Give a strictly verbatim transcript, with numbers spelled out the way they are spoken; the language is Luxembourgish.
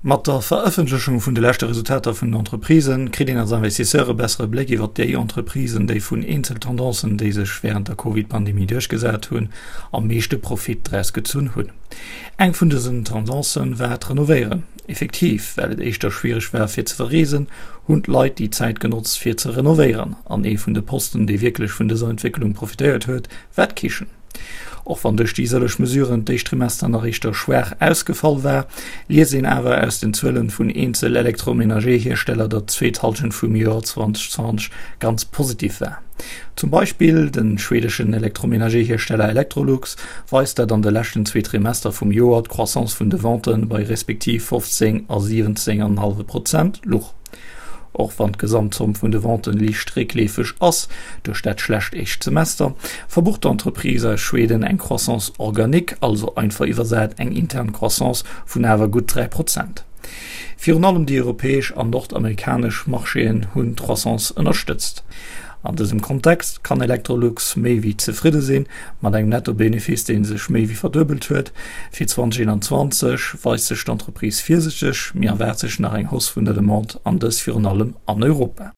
Mat der Verëffentlechung vun de leschte Resultater vun den Entreprisen kritt een als Investisseur e bessere Bléck iwwer déi Entreprisen, déi vun eenzel Tendancen, déi sech wärend der Covid-Pandemie duerchgesat hunn, am meeschte Profit draus gezunn hunn. Eng vun dësen Tendancen war d'Renovéieren. Effektiv, well et éischter schwiereg war fir ze verreesen, hunn d'Leit déi Zäit genotzt fir ze renovéieren. An ee vun de Posten, dee wierklech vun dëser Entwécklung profitéiert huet, war d'Kichen. Och wann duerch déi sëlleg Mesuren d'éischt Trimester nach éischter schwaach ausgefall war, liest een awer aus den Zuelen vun eenzel Electroménager-Hiersteller, datt d'zweet Hallschent vum Joer zweitausendzwanzeg ganz positiv war. Zum Beispill de schweedeschen Electroménager-Hiersteller Electrolux weist, datt an de leschten zwee Trimester vum Joer d'Croissance vun de Vente bei respektiv fofzéng a siwwenzéng an en hallwe Prozent luch. Och wann d'Gesamtzomm vun de Venten liicht réckleefeg ass duerch dat schlecht éischt Semester, verbucht d'Entreprise aus Schweden eng Croissance organique, also einfach iwwersat eng intern Croissance vun awer gutt dräi Prozent. Virun allem déi europäesch an nordamerikanesch Marchéen hunn d'Croissance ënnerstëtzt. An dësem Kontext kann Electrolux méi wéi zefridde sinn, mat engem Netto-Benefice, dee sech méi wéi verduebelt huet. Fir zweitausendeenanzwanzeg weist sech d'Entreprise virsichteg, mee erwaart sech nach eng Hausse vun der Demande, an dës virun allem an Europa.